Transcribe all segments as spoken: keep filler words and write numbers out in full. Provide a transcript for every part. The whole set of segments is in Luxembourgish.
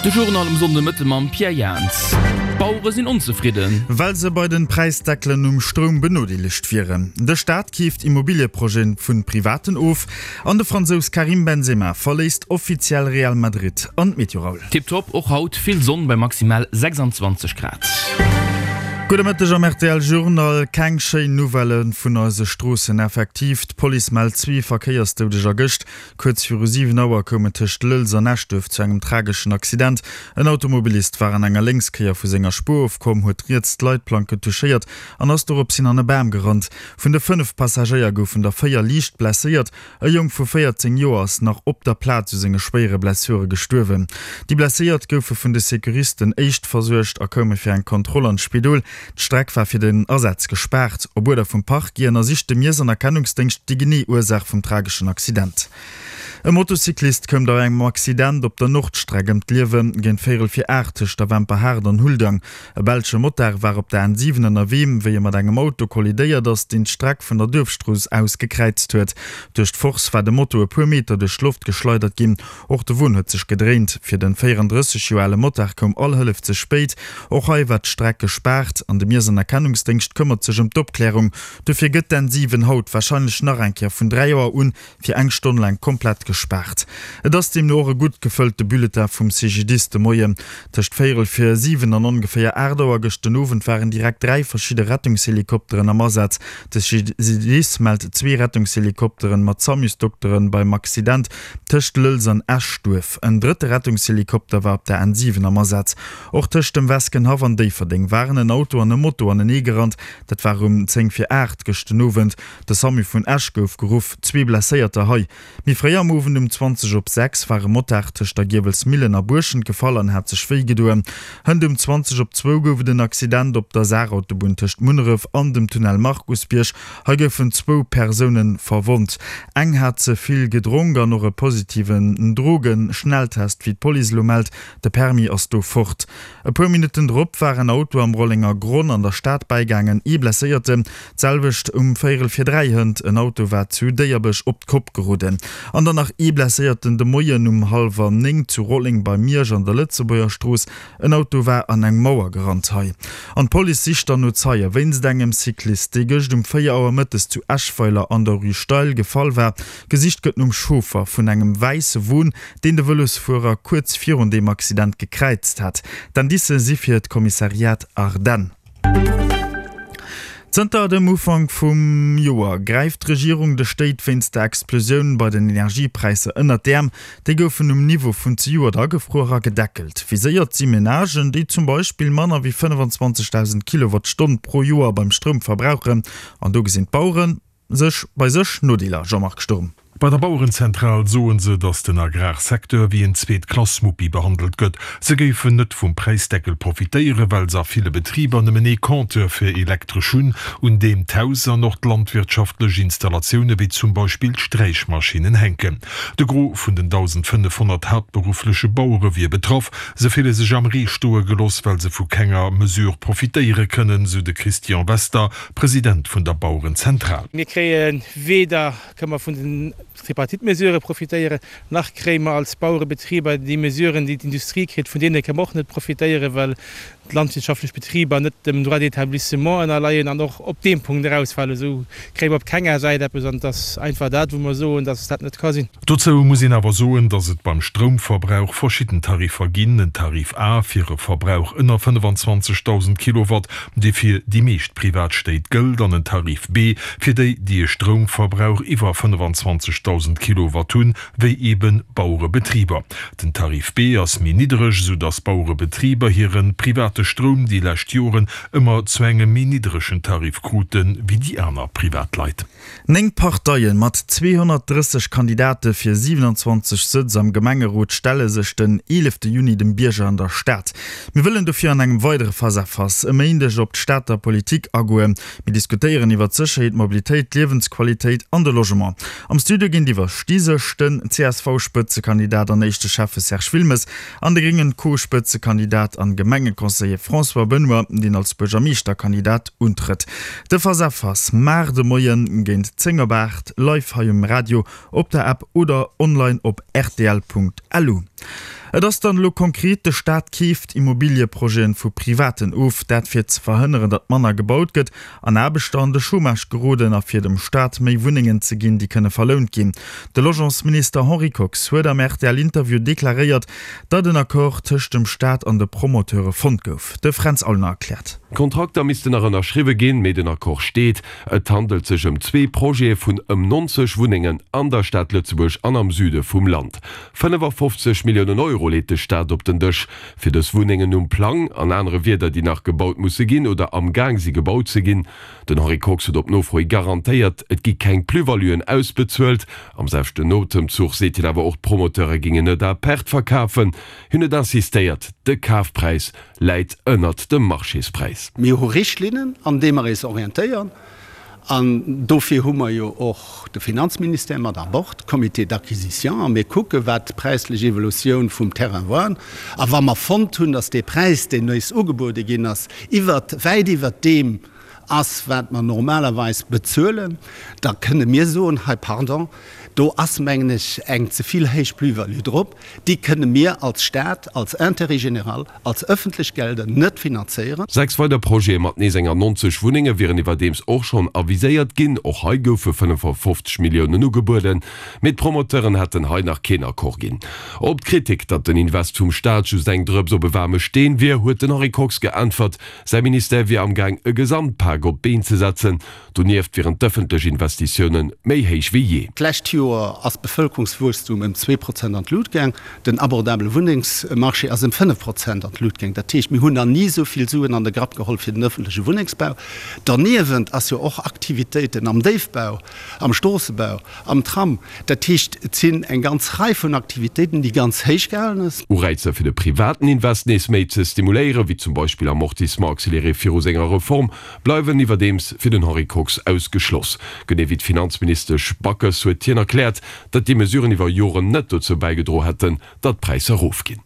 De Journal um Sonndemëtte mam Pierre Jans. D'Bauere sinn onzefridden. Well se bei den Präisdeckelen um Stroum benodeelegt wieren. De Staat keeft Immobilieprojete vu Privaten of an de Fransous Karim Benzema verléisst offiziell Real Madrid. An d'Meteo Raoul. Tiptop, och haut vill Sonn bei maximal sechsundzwanzeg Grad. Gudde Mëtteg am rtl Journal. Keng schéin Nouvellë vun eise Stroossen. Effektiv, d'Police mellt zwee Verkéiersdoudeger gëscht. Kuerz viru siwen Auer koum et tëscht Lëlz an Eschduerf zu engem trageschen Accident. En Automobilist war an enger Lénkskéier vu senger Spuer ofkomm, huet riets d'Leitplanke touchéiert an ass doropshin an e Bam gerannt. Vun de fënnef Passagéier goufen der véier liicht blesséiert. E Jong vu véierzéng Joer ass nach op der Plaz u senge schwéiere Blessure gestuerwen. Déi Blesséiert goufe vun de Securisten éischtversuergt a koume fir eng Kontroll an d'Spidol. D'Streck war fir den Asaz gespaart. Op Uerder vum Parquet ënnersicht de Miess an Erkennungsdéngscht déi genee Ursaach vum trageschen Accident. E Motocyclist koum bei engem Accident op der Nordstreck ëm d'Liewen, géint véierel vir aacht tëscht der Wemperhaart an Huldang. E belsche Motard war op der N siwen ënnerwee, wéi e mat engem Auto kollidéiert ass, deen d'Streck vun der Duerfstrooss aus gekräizt huet. Duerch d'Force war de Moto e puer Meter duerch d'Loft geschleidert ginn. Och de Won huet sech gedréint. Fir de véierandrësseg Joer ale Motard koum all Hëllef ze spéit. Och hei war d'Streck gespaart an de Miess an Erkennungsdéngscht këmmert sech ëm d'Opklärung. Dofir gëtt d'N siwen haut warscheinlech nach eng Kéier vun dräi Auer un fir eng Stonn laang komplett gespaart. Et ass deemno och e gutt gefëllte Bulletin vum C G D I S de Moien. Tëscht véierel vir siwen an ongeféier aacht Auer gëscht den Owend waren direkt dräi verschidde Rettungshelikopteren am Asaz. De C G D I S mellt zwee Rettungshelikopteren mat Samusdokteren beim Accident tëscht Lëlz an Eschduerf. En drëtte Rettungshelikopter war op der N siwen am Asaz. Och tëscht dem Weskenhaff an Déifferdeng waren en Auto an e Moto anenee gerannt. Dat war um zéng vir aacht gëscht den Owend. De Samu vun Esch gouf geruff, zwee Blesséierter hei. Méi fréi am Owend um zwanzeg op sechs war e Motard tëscht der Giewelsmillen a Buerschent gefall an hat sech wéi gedoen. Hënt um zwanzeg op zwou gouf et en Accident op der Saarautobunn tëscht Munneref an dem Tunnel Markusbierg. Hei goufen zwou Persoune verwonnt. Eng hat ze vill gedronk an och e positiven Drogen-Schnelltest, wéi d'Police elo mellt. De Permis ass do fort. E puer Minutten drop war en Auto am Rollenger Gronn an der Stad bäigaangen, ee Blesséierten. D'selwecht um véierel vir dräi hënt, en Auto war zu Déierbech op d'Kopp geroden. An dann nach ee Blesséierten de Moien um hallwer néng zu Rolleng bei Miersch an der Lëtzebuerger Strooss, en Auto war an eng Mauer gerannt hei. An d'Police sicht dann no Zeie wéinst engem Cyclist, dee gëscht um véier Auer mëttes zu Eschweiler an der Rue Steil gefall war. Gesicht gëtt nom Chauffer vun engem wäisse Won, deen de Vëlosfuerer kuerz virun deem Accident gekräizt hat. D'Indicë si fir d'Kommissariat Ardennes. Zënter dem Ufank vum Joer gräift d'Regierung de Stéit wéinst der Explosioun bei den Energiepräisser ënnert d'Äerm. Déi goufen um Niveau vun zejoert agefruer a gedeckelt. Viséiert si Menagen, déi zum Beispill manner wéi fënnefenzwanzegdausend Kilowattstonn pro Joer beim Stroum verbrauchen. An do gesinn d'Bauere sech bei sech Nodeeler, Jean-Marc Sturm. Bei der Bauerenzentral soen se, datt den Agrarsecteur wéi en Zweet-Klass-Muppi behandelt gëtt. Se géifen net vum Präisdeckel profitéieren, well se a ville Betriber nëmmen ee Compteur fir Elektresch hunn, un deem d'Haus an och d'landwirtschaftlech Installatioune wéi zum Beispill d'Sträichmaschinnen hänken. De Gros vun den dausendfënnefhonnert haaptberuffleche Bauere wier betraff. Se fille sech am Ree stoe gelooss, well se vu kenger Mesure profitéiere kënnen, sou de Christian Wester, President vun der Bauerenzentral. Mir kréie weder kënne mer vun den Tripartite-Mesurë profitéieren, nach kréie mer als Bauerebetriber déi Mesuren, déi d'Industrie kritt, vun deene kënne mer och net profitéieren, well d'landwirtschaftlech Betriber net dem Droit d'établissement ënnerleien an och op deem Punkt erausfalen. Esou kréie mer op kenger Säit eppes an et ass einfach dat, wou mer soen, dass dat net ka sinn. Dozou muss een awer soen, dass et beim Stroumverbrauch verschidden Tariffer ginn, en Tarif A fir e Verbrauch ënner fënnefenzwanzegdausend Kilowatt, dee fir déi meescht Privatstéit gëllt, an en Tarif B fir déi, déi e Stroumverbrauch iwwer fënnefenzwanzegdausend Kilowatt hunn, wéi eebe Bauerebetriber. Den Tarif B ass méi niddereg, esou dass Bauerebetriber hire private Stroum déi lescht Joren ëmmer zu engem méi nidderegen Tarif krute wéi déi aner Privatleit. Néng Parteie mat zweehonnertdrësseg Kandidate fir siewenanzwanzeg Sëtz am Gemengerot stelle sech den eelefte Juni dem Bierger an der Stad. Mir wëllen dofir an engem weidere Face-à-Face e Méindeg op d'Stater Politik agoen. Mir diskutéieren iwwer d'Sécherheet, d'Mobilitéit, d'Liewensqualitéit an de Logement. Am Studio géintiwwer sti sech den C S V-Spëtzekandidat an éischte Schäffe Serge Wilmes an de gréngen Co-Spëtzekandidat an Gemengeconseiller François Benoy, deen als Buergermeeschterkandidat untrëtt. De Face-à-Face mar de Moien géint zéng op aacht live hei um Radio, op der App oder online op rtl Punkt lu. Et ass dann elo konkret, De Staat keeft Immobilieprojete vu Privaten of, dat fir ze verhënneren, datt manner gebaut gëtt an Aarbechter an de Chômage geroden a fir dem Staat méi Wunnengen ze ginn, déi kënne verlount ginn. De Logementsminister Henri Kox huet am R T L-Interview deklaréiert, datt en Accord tëscht dem Staat an de Promoteure fonnt gouf. De Fränz Aulner erkläert. D'Kontrakter missten nach ënnerschriwwe ginn, mee den Accord steet. Et handelt sech ëm zwee Projete vun ëm nonzeg Wunnengen an der Stad Lëtzebuerg an am Süde vum Land. fënnefafofzeg Milliounen Euro leet de Staat op den Dësch fir dës Wunnengen um Plang, an anere Wierder, déi nach gebaut musse ginn oder am Gaang si gebaut ze ginn. Den Henri Kox huet op Nofro hi garantéiert, et gi keng Plus-valuen ausbezuelt. Am selwechten Otemzuch seet hien awer och, d'Promoteure gingen net à perte verkafen. Hien huet insistéiert, de Kafpräis läit ënnert dem Marchéspräis. Mir hu Richtlinnen, an deene mer eis orientéieren, an dofir hu mer jo och de Finanzministère mat à bord, Comité d'acquisition, a mir kucke wat d'präislech Evolutioun vum Terrain war. A wa mer fonnt hunn, datt dee Präis, deen eis ugebuede ginn ass, iwwert, wäit iwwert deem ass, wat mer normalerweis bezuelen, da kënne mir soen, hei pardon, do ass mengen ech eng ze vill héich Plus-value drop, déi kënne mir als Staat, als Intérêt général, als ëffentlech Gelder net finanzéieren. Sechs weider Projete mat nees enger nonzeg Wunnenge wieren iwwerdeems och schonn aviséiert ginn. Och hei goufe fënnefafofzeg Milliounen ugebueden, mee d'Promoteuren hätten hei nach keen Accord ginn. Op d'Kritik, datt den Invest vum Staat just eng Drëps op e waarme Steen wier, huet den Henri Kox geäntwert, säi Ministère wier amgaang e Gesamtpak op d'Been ze setzen. Donieft wieren d'ëffentlech Investitioune méi héich wéi jee. D'lescht Joer ass d'Bevëlkerungswuesstum ëm zwee Prozent an d'Lut gaang, den abordabele Wunnengsmarché ass ëm fënnef Prozent an d'Lut gaang. Dat heescht, mir hunn nach ni esou vill Suen an de Grapp geholl fir den ëffentleche Wunnengsbau. Derniewent ass jo och Aktivitéiten am Déifbau, am Stroossebau, am Tram. Dat heescht, et sinn eng ganz Rei vun Aktivitéiten, déi ganz héich gehalen ass. Ureizer fir de privaten Invest nees méi ze stimuléieren, wéi zum Beispill Amortissement accéléré viru senger Reform, bleiwen iwwerdeems fir den Henri Kox ausgeschloss. Genee wéi d'Finanzministesch Backes huet hien erkläert, datt déi Mesuren iwwer Joren net dozou bäigedroen hätten, datt d'Präisser erofginn.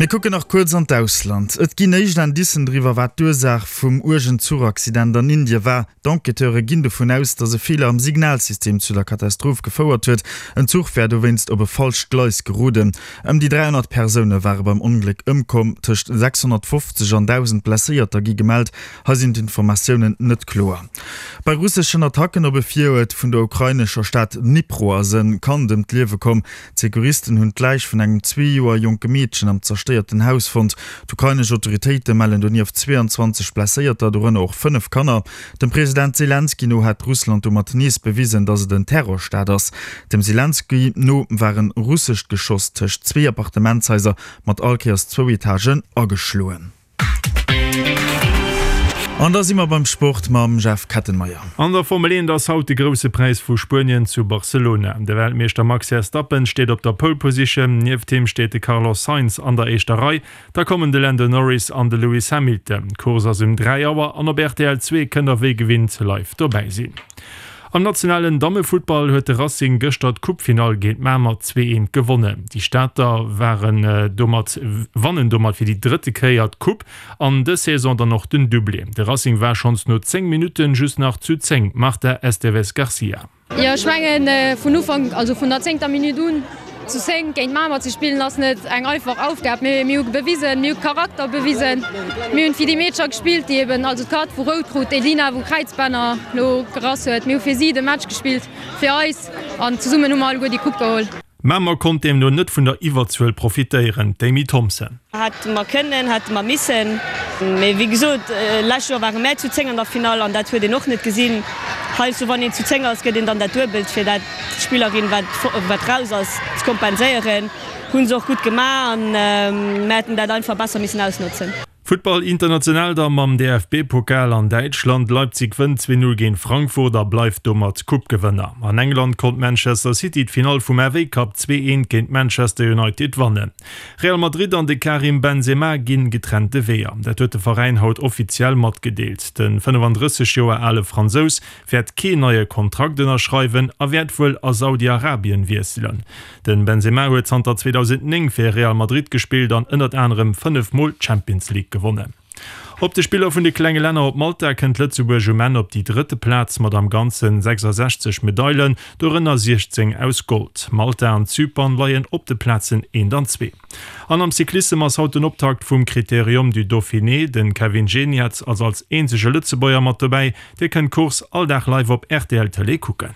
Mir kucken nach kuerz an d'Ausland. Et ginn éischt Indicen driwwer, wat d'Ursaach vum uergen Zuchaccident an Indie war. D'Enquêteure ginn dovun aus, datt e Feeler am Signalsystem zu der Katastroph gefouert huet. En Zuch wär dowéinst op e falscht Gleis geroden. Ëm déi dräihonnert Persoune ware beim Ongléck ëmkomm, tëscht sechshonnertfofzeg an dausend Blesséierter gi gemellt. Hei sinn d'Informatiounen net kloer. Bei russeschen Attacken op e Viruert vun der ukrainescher Stad Dnipro ass e Kand ëm d'Liewe komm. D'Secouristen hunn d'Läich vun engem zwee Joer jonke Meedchen am zerstéierten Haus fonnt. D'ukrainesch Autoritéite mellen donieft zweeanzwanzeg Blesséierter, dorënner och fënnef Kanner. Dem President Selenskyj no hätt Russland domat nees bewisen, datt et en Terrorstaat ass. Dem Selenskyj no war e russescht Geschoss tëscht zwee Appartementshaiser mat all Kéiers zwou Etagen ageschloen. An da si mer beim Sport mam Jeff Kettenmeyer. An der Formel eent ass haut de Grousse Präis vu Spuenien zu Barcelona. De Weltmeeschter Max Verstappen steet op der Pole Position, nieft him steet de Carlos Sainz an der éischter Rei. Da kommen de Lando Norris an de Lewis Hamilton. D'Course ass um dräi Auer an op R T L zwee kënnt der wéi gewinnt live dobäi sinn. Am nationalen Dammefuttball huet de Racing gëschter d'Coupefinall géint Mamer zwee eent gewonnen. Déi Stater waren domat wannen domat fir déi drëtte Kéier d'Coupe an dës Saison dann och den Doublé. De Racing war schonns no zéng Minutten just nach zu zéng, Marta Esteves Garcia. Jo ech mengen vun Ufank, also vun der zéngter Minutt un zu zéng géint Mamer ze spillen ass net eng einfach Aufgab, mee mir hu bewisen, mir hu Charakter bewisen, mir hunn fir déi Meedercher gespillt, déi eben, also d'Kat wou rout krut, d'Elina wou Kräizbänner lo gerass huet, mir hu fir si de Match gespillt, fir eis an zesummen hu mer alleguer déi Coupe geholl. Mamer konnt deemno net vun der Iwwerzuel profitéieren, d'Amy Thompson. Hätte mer kënnen, hätte mer missen, mee wéi gesot, lescht Joer ware mär zu zéng an der Finall an dat huet een och net gesinn. Heiansdo wann een zu zéng ass, gëtt een dann dat Duebelt, fir dat d'Spillerin wat wat raus ass ze kompenséieren. Hu se och gutt gemaach an mär hätten dat einfach besser missen ausnotzen. Futtball international da mam D F B-Pokal an Däitschland, Leipzig wënnt zwee Null géint Frankfurt a bleift domat Coupe-Gewënner. An England konnt Manchester City d'Finall vum F A Cup zwee eent géint Manchester United wannen. Real Madrid an de Karim Benzema ginn getrennte Weeër. Dat huet de Veräin haut offiziell matgedeelt. De fënnefandrësseg Joer ale Fransous wäert keen neie Kontrakt ënnerschreiwen a wäert wuel a Saudi-Arabien wiesselen. De Benzema huet zanter zweedausendnéng fir Real Madrid gespillt an ënnert anerem fënnef Mol d'Champions League gewonnen. Op de Spiller vun de klenge Länner op Malta kënnt Lëtzebuerg um Enn op déi drëtte Plaz mat am Ganzen sechsasechzeg Medailen, dorënner siechzéng aus Gold. Malta an Zypern leien op de Plazen eent an zwee. An am Cyclissem ass haut den Optakt vum Critérium du Dauphiné. Den Kevin Geniets ass als eenzege Lëtzebuerger mat dobäi. Dir kënnt d'Course all Dag live op rtl Tëlee kucken.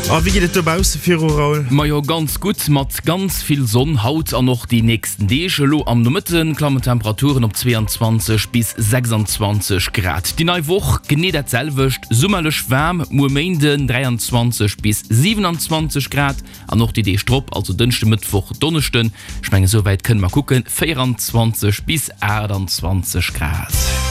A wéi geet et dobausse viru, Raoul? Majo ganz gutt, mat ganz vill Sonn haut an och déi nächsten Deeg. Elo am Nomëtte klammen d'Temperaturen op zwee an zwanzeg bis sechsanzwanzeg Grad. Déi nei Woch genee dat selwecht, summerlech waarm, muer Méinden dräianzwanzeg bis siwenanzwanzeg Grad an och déi Deeg drop, also Dënschde, Mëttwoch, Donneschden, ech mengen esou wäit kënne mer kucken, véieranzwanzeg bis aachtanzwanzeg Grad.